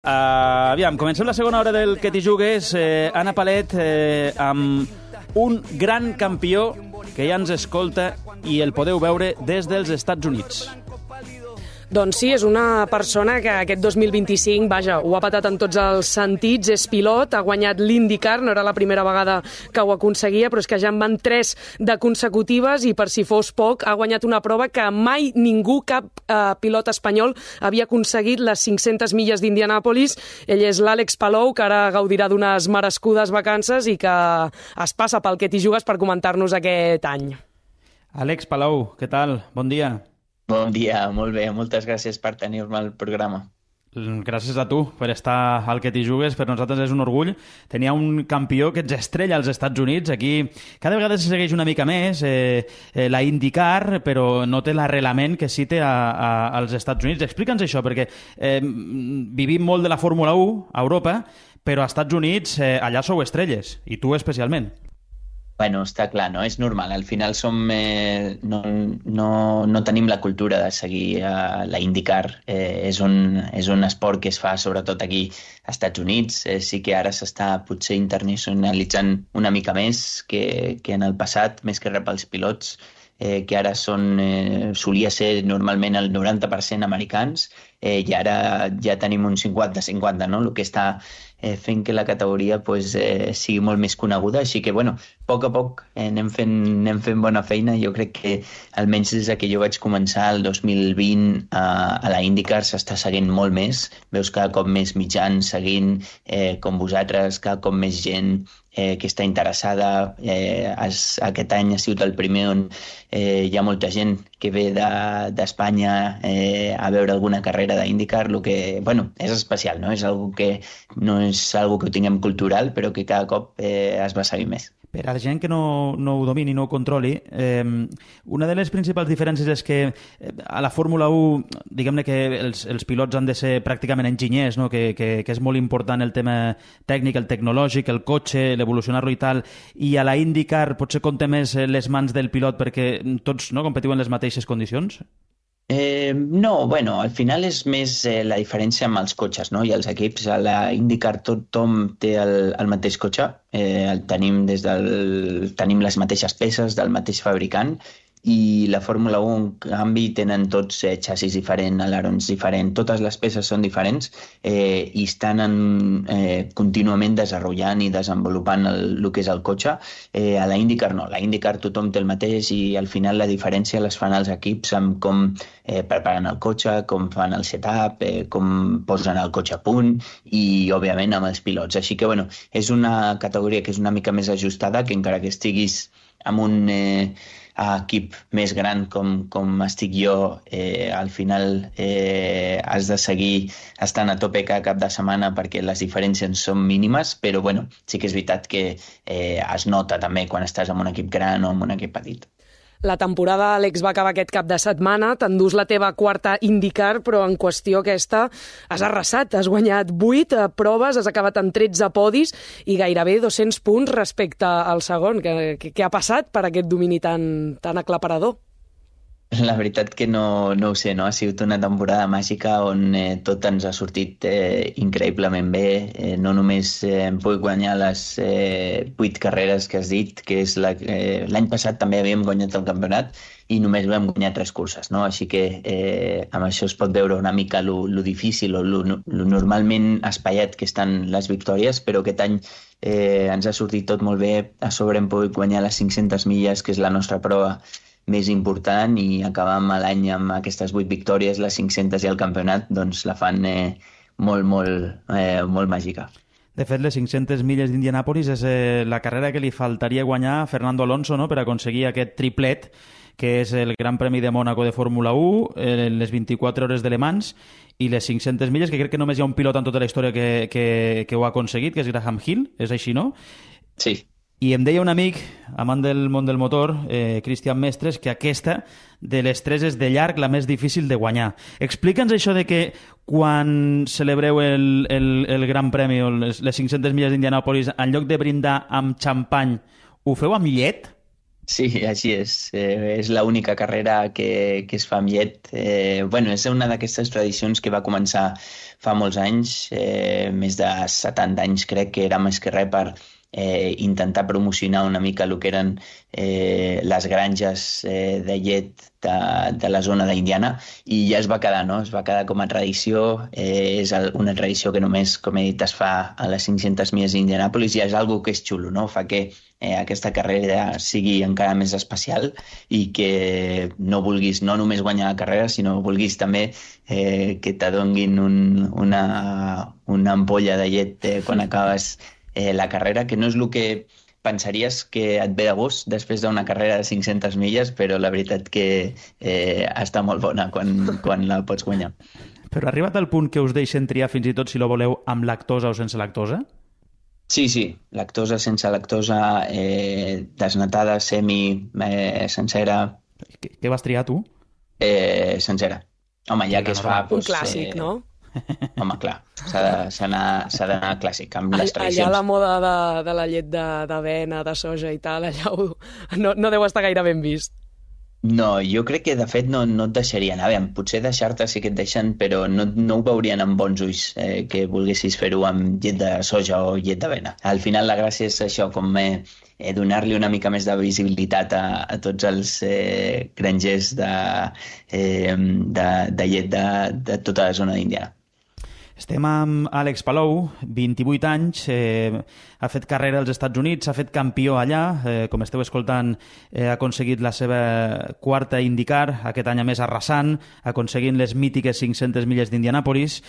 Aviam, comencem la segona hora del Que t'hi jugues. Anna Palet, amb un gran campió que ja ens escolta i el podeu veure des dels Estats Units. Doncs sí, és una persona que aquest 2025, vaja, ho ha patat en tots els sentits, és pilot, ha guanyat l'IndyCar, no era la primera vegada que ho aconseguia, però és que ja en van 3 de consecutives i, per si fos poc, ha guanyat una prova que mai ningú, cap pilot espanyol, havia aconseguit, les 500 milles d'Indianàpolis. Ell és l'Àlex Palou, que ara gaudirà d'unes merescudes vacances i que es passa pel Que t'hi jugues per comentar-nos aquest any. Àlex Palou, què tal? Bon dia. Bon dia, molt bé. Moltes gràcies per tenir-me al programa. Gràcies a tu per estar al Que t'hi jugues. Per nosaltres és un orgull. Tenia un campió que ens estrella als Estats Units. Aquí cada vegada se segueix una mica més la IndyCar, però no té l'arrelament que sí té als Estats Units. Explica'ns això, perquè vivim molt de la Fórmula 1 a Europa, però als Estats Units allà sou estrelles, i tu especialment. Bueno, està clar, no? És normal. Al final no tenim la cultura de seguir la IndyCar. És un esport que es fa sobretot aquí als Estats Units. Sí que ara s'està potser internacionalitzant una mica més que en el passat, més que res pels pilots, que ara solia ser normalment el 90% americans, i ara ja tenim un 50-50, no? El que està fent que la categoria sigui molt més coneguda, així que, bueno, a poc anem fent bona feina. Jo crec que, almenys des que jo vaig començar el 2020 a la IndyCar, s'està seguint molt més. Veus cada cop més mitjans seguint, com vosaltres, cada cop més gent que està interessada. Aquest any ha sigut el primer on hi ha molta gent que ve d'Espanya a veure alguna carrera d'IndyCar, el que, bueno, és especial, no? És algo que no és algo que ho tinguem cultural, però que cada cop es va seguir més. Per a la gent que no ho domini, no ho controli, una de les principals diferències és que a la Fórmula 1, diguem-ne que els pilots han de ser pràcticament enginyers, no? que és molt important el tema tècnic, el tecnològic, el cotxe, l'evolucionar-lo i tal, i a la IndyCar potser compta més les mans del pilot perquè tots competiu en les mateixes condicions? No, bueno, al final és més la diferència amb els cotxes, no? I els equips. A la IndyCar tothom té el mateix cotxe, tenim les mateixes peces del mateix fabricant, i la Fórmula 1, en canvi, tenen tots xassis diferents, alerons diferents, totes les peces són diferents i estan contínuament desenvolupant i desenvolupant el que és el cotxe. A la IndyCar no, a la IndyCar tothom té el mateix i al final la diferència les fan els equips amb com preparen el cotxe, com fan el setup, com posen el cotxe a punt i, òbviament, amb els pilots. Així que, bueno, és una categoria que és una mica més ajustada, que encara que estiguis amb un equip més gran com estic jo, al final has de seguir estant a tope cada cap de setmana perquè les diferències són mínimes, però bueno, sí que és veritat que es nota també quan estàs en un equip gran o en un equip petit. La temporada, Àlex, va acabar aquest cap de setmana, t'endús la teva quarta IndyCar, però en qüestió aquesta has arrasat, has guanyat 8 proves, has acabat amb 13 podis i gairebé 200 punts respecte al segon. Què ha passat per aquest domini tan aclaparador? La veritat que no ho sé, no? Ha sigut una temporada màgica on tot ens ha sortit increïblement bé. No només hem pogut guanyar les 8 carreres que has dit, que és l'any passat també havíem guanyat el campionat i només vam guanyar 3 curses, no? Així que amb això es pot veure una mica lo difícil o lo normalment espaiat que estan les victòries, però aquest any ens ha sortit tot molt bé. A sobre hem pogut guanyar les 500 milles, que és la nostra prova més important, i acabar l'any amb aquestes 8 victòries, les 500 i el campionat, doncs la fan molt màgica. De fet, les 500 milles d'Indianàpolis és la carrera que li faltaria guanyar a Fernando Alonso, no?, per aconseguir aquest triplet, que és el Gran Premi de Mònaco de Fórmula 1, les 24 hores de Le Mans i les 500 milles, que crec que només hi ha un pilot en tota la història que ho ha aconseguit, que és Graham Hill, és així, no? Sí. I em deia un amic, amant del món del motor, Cristian Mestres, que aquesta de les 3 és de llarg la més difícil de guanyar. Explica'ns això de que quan celebreu el Gran Premi o les 500 milles d'Indianàpolis, en lloc de brindar amb xampany, ho feu amb llet? Sí, així és. És l'única carrera que es fa amb llet. Bueno, és una d'aquestes tradicions que va començar fa molts anys, més de 70 anys crec, que era més que res per intentar promocionar una mica el que eren les granges de llet de la zona d'Indiana, i ja es va quedar, no? Es va quedar com a tradició. Una tradició que només, com he dit, es fa a les 500 milles d'Indianàpolis, i és algo que és xulo, no? Fa que aquesta carrera sigui encara més especial, i que no vulguis no només guanyar la carrera, sinó vulguis també que t'adonguin una ampolla de llet quan acabes la carrera, que no és el que pensaries que et ve de gust després d'una carrera de 500 milles, però la veritat que està molt bona quan la pots guanyar. Però ha arribat al punt que us deixen triar fins i tot si la voleu amb lactosa o sense lactosa? Sí, lactosa, sense lactosa, desnatada, sencera. Què vas triar tu? Sencera. Home, ja que es fa... Un clàssic, no? Home, clar, s'ha d'anar clàssic, amb les tradicions. Allà la moda de la llet d'avena, de soja i tal, allà no deu estar gaire ben vist. No, jo crec que de fet no et deixarien. A veure, potser deixar-te sí que et deixen, però no ho veurien amb bons ulls que volguessis fer-ho amb llet de soja o llet d'avena. Al final la gràcia és això, com donar-li una mica més de visibilitat a tots els grangers de llet de tota la zona d'Indiana. Estem amb Àlex Palou, 28 anys, ha fet carrera als Estats Units, s'ha fet campió allà, com esteu escoltant, ha aconseguit la seva quarta IndyCar, aquest any a més arrasant, aconseguint les mítiques 500 milles d'Indianàpolis.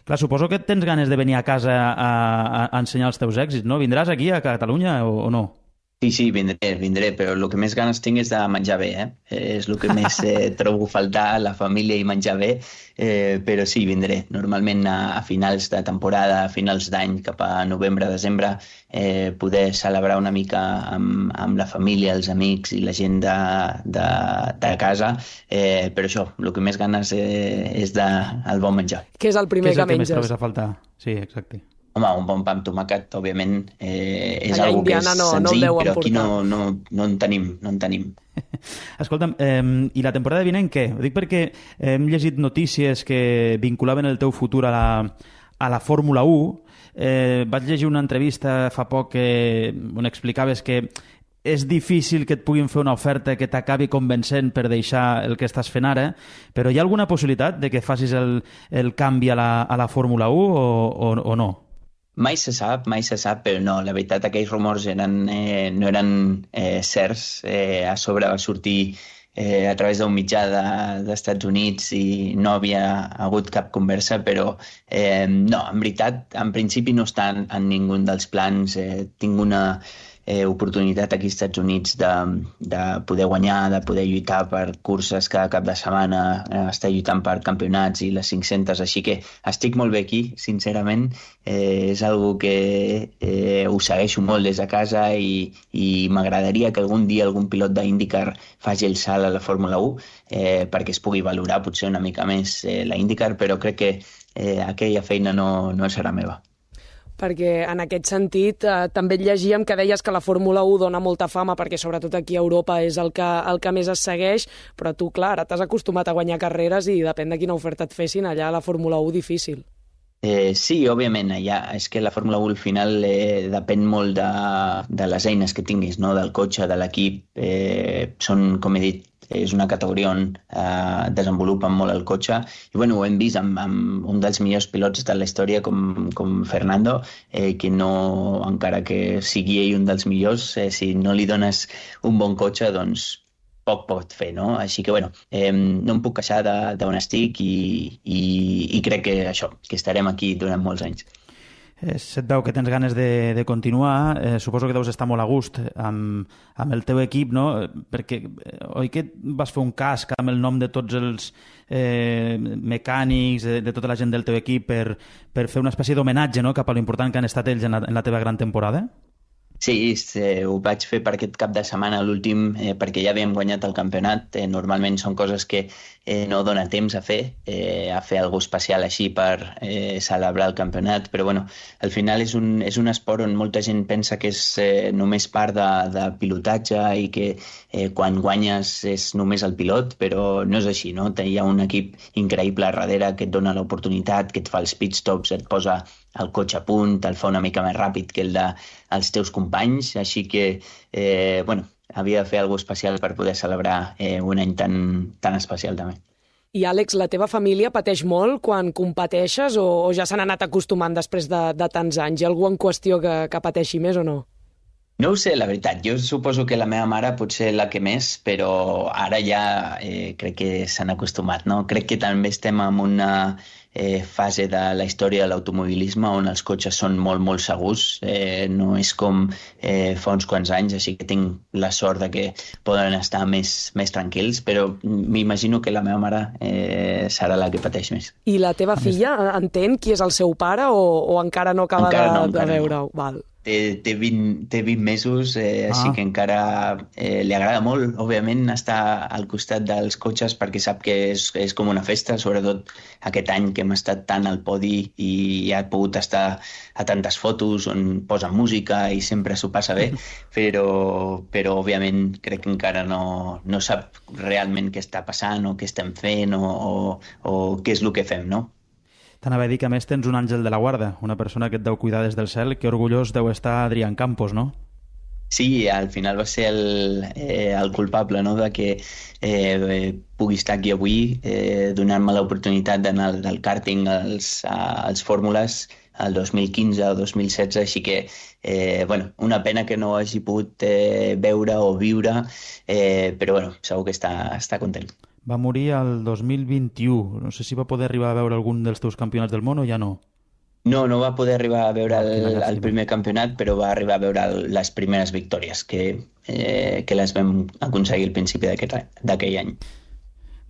Clar, suposo que tens ganes de venir a casa a ensenyar els teus èxits, no? Vindràs aquí a Catalunya o no? Sí, vindré, però el que més ganes tinc és de menjar bé, és el que més trobo faltar, la família i menjar bé, però sí, vindré. Normalment a finals de temporada, a finals d'any, cap a novembre, desembre, poder celebrar una mica amb la família, els amics i la gent de casa, però això, el que més ganes és del bon menjar. Què és el primer que menges? Què és el que més trobes a faltar? Sí, exacte. Home, un bon pa amb tomàquet, òbviament, és allà algo que és senzill, però aquí no en tenim. Escolta'm, i la temporada vinent què? Ho dic perquè hem llegit notícies que vinculaven el teu futur a la Fórmula 1. Vaig llegir una entrevista fa poc on explicaves que és difícil que et puguin fer una oferta que t'acabi convencent per deixar el que estàs fent ara, però hi ha alguna possibilitat de que facis el canvi a la Fórmula 1 o no? Mai se sap, però no, la veritat aquells rumors no eren certs. A sobre va sortir a través d'un mitjà d'Estats Units i no havia hagut cap conversa, però no, en veritat, en principi no està en ningú dels plans. Tinc una oportunitat aquí als Estats Units de poder guanyar, de poder lluitar per curses cada cap de setmana, estar lluitant per campionats i les 500, així que estic molt bé aquí, sincerament. És algo que ho segueixo molt des de casa i m'agradaria que algun dia algun pilot d'IndyCar faci el salt a la Fórmula 1 perquè es pugui valorar potser una mica més la IndyCar, però crec que aquella feina no serà meva. Perquè en aquest sentit també llegíem que deies que la Fórmula 1 dona molta fama perquè sobretot aquí a Europa és el que més es segueix, però tu, clar, ara t'has acostumat a guanyar carreres i depèn de quina oferta et fessin, allà a la Fórmula 1 difícil. Sí, òbviament, allà és que la Fórmula 1 al final depèn molt de les eines que tinguis, no? Del cotxe, de l'equip. Són, com he dit, és una categoria on desenvolupen molt el cotxe i bueno, ho hem vist amb un dels millors pilots de la història com Fernando, que no, encara que sigui ell un dels millors, si no li dones un bon cotxe, doncs poc pot fer, no? Així que, bueno, no em puc queixar d'on estic i crec que això, que estarem aquí durant molts anys. Se't veu que tens ganes de continuar. Suposo que deus estar molt a gust amb el teu equip, no? Perquè, oi que vas fer un casc amb el nom de tots els mecànics, de tota la gent del teu equip per fer una espècie d'homenatge, no?, cap a l'important que han estat ells en la teva gran temporada? Sí, ho vaig fer per aquest cap de setmana, l'últim, perquè ja havíem guanyat el campionat. Normalment són coses que no dona temps a fer alguna especial així per celebrar el campionat, però bueno, al final és un esport on molta gent pensa que és només part de pilotatge i que quan guanyes és només el pilot, però no és així, no? Hi ha un equip increïble a darrere que et dona l'oportunitat, que et fa els pit stops, et posa el cotxe a punt, el fa una mica més ràpid que el dels teus companys, així que, havia de fer alguna cosa especial per poder celebrar un any tan especial també. I Àlex, la teva família pateix molt quan competeixes o ja s'han anat acostumant després de tants anys? Hi ha algú en qüestió que pateixi més o no? No ho sé, la veritat. Jo suposo que la meva mare potser la que més, però ara ja crec que s'han acostumat, no? Crec que també estem en una fase de la història de l'automobilisme on els cotxes són molt, molt segurs. No és com fa uns quants anys, així que tinc la sort de que poden estar més tranquils, però m'imagino que la meva mare serà la que pateix més. I la teva filla entén qui és el seu pare o encara no acaba de veure-ho? No. Val. Té 20 mesos, així que encara li agrada molt, òbviament, estar al costat dels cotxes perquè sap que és com una festa, sobretot aquest any que hem estat tant al podi i ha pogut estar a tantes fotos on posa música i sempre s'ho passa bé, però òbviament crec que encara no sap realment què està passant o què estem fent o què és el que fem, no? T'anava a dir que a més tens un àngel de la guarda, una persona que et deu cuidar des del cel, que orgullós deu estar Adrián Campos, no? Sí, al final va ser el culpable, no?, de que pugui estar aquí avui, donant-me l'oportunitat d'anar del kàrting als fórmules el 2015 o 2016, així que, una pena que no hagi pogut veure o viure, però segur que està content. Va morir el 2021. No sé si va poder arribar a veure algun dels teus campionats del món o ja no. No va poder arribar a veure el primer campionat, però va arribar a veure les primeres victòries que les vam aconseguir al principi d'aquell any.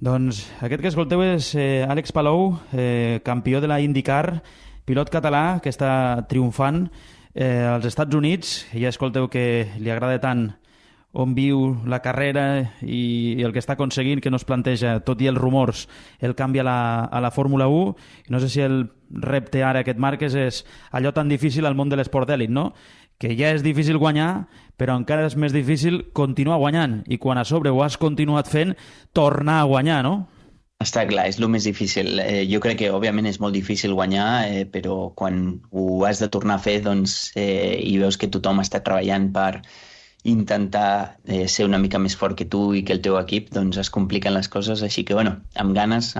Doncs aquest que escolteu és Àlex Palou, campió de la IndyCar, pilot català que està triomfant als Estats Units. Ja escolteu que li agrada tant on viu la carrera i el que està aconseguint, que no es planteja, tot i els rumors, el canvi a la Fórmula 1. I no sé si el repte ara que et marques és allò tan difícil al món de l'esport d'èlit, no? Que ja és difícil guanyar, però encara és més difícil continuar guanyant. I quan a sobre ho has continuat fent, tornar a guanyar, no? Està clar, és el més difícil. Jo crec que, òbviament, és molt difícil guanyar, però quan ho has de tornar a fer, doncs, i veus que tothom està treballant per intentar ser una mica més fort que tu i que el teu equip, doncs es compliquen les coses, així que, amb ganes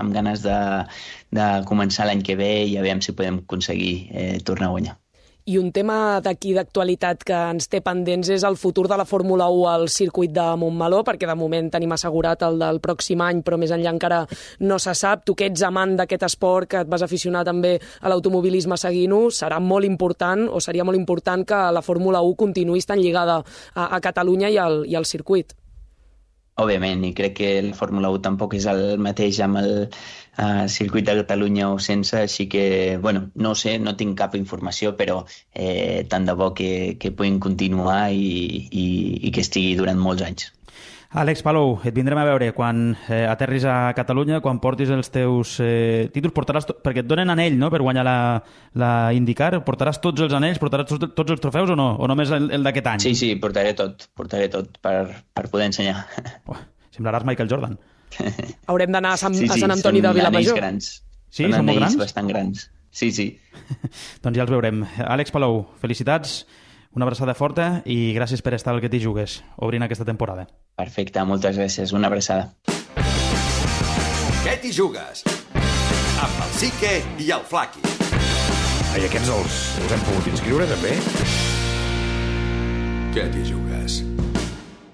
de començar l'any que ve i aviam si podem aconseguir tornar a guanyar. I un tema d'aquí d'actualitat que ens té pendents és el futur de la Fórmula 1 al circuit de Montmeló, perquè de moment tenim assegurat el del pròxim any, però més enllà encara no se sap. Tu que ets amant d'aquest esport, que et vas aficionar també a l'automobilisme seguint-ho, serà molt important, o seria molt important que la Fórmula 1 continuï estant lligada a Catalunya i al circuit. Òbviament, i crec que la Fórmula 1 tampoc és el mateix amb el circuit de Catalunya o sense, així que, no sé, no tinc cap informació, però tant de bo que puguin continuar i que estigui durant molts anys. Àlex Palou, et vindrem a veure quan aterris a Catalunya, quan portis els teus títols, portaràs perquè et donen anell, no?, per guanyar la IndyCar. Portaràs tots els anells, portaràs tots els trofeus o no? O només el d'aquest any? Sí, portaré tot per poder ensenyar. Semblaràs Michael Jordan. Haurem d'anar a Sant Antoni de Vilamajor. Són anells grans. Sí, són molt grans? Bastant grans. Sí. Doncs ja els veurem. Àlex Palou, felicitats, una abraçada forta i gràcies per estar al que t'hi jugues, obrint aquesta temporada. Perfecte, moltes gràcies. Una abraçada. Què t'hi jugues? Amb el Sique i el Flaqui. I aquests els hem pogut inscriure, també? Què t'hi jugues?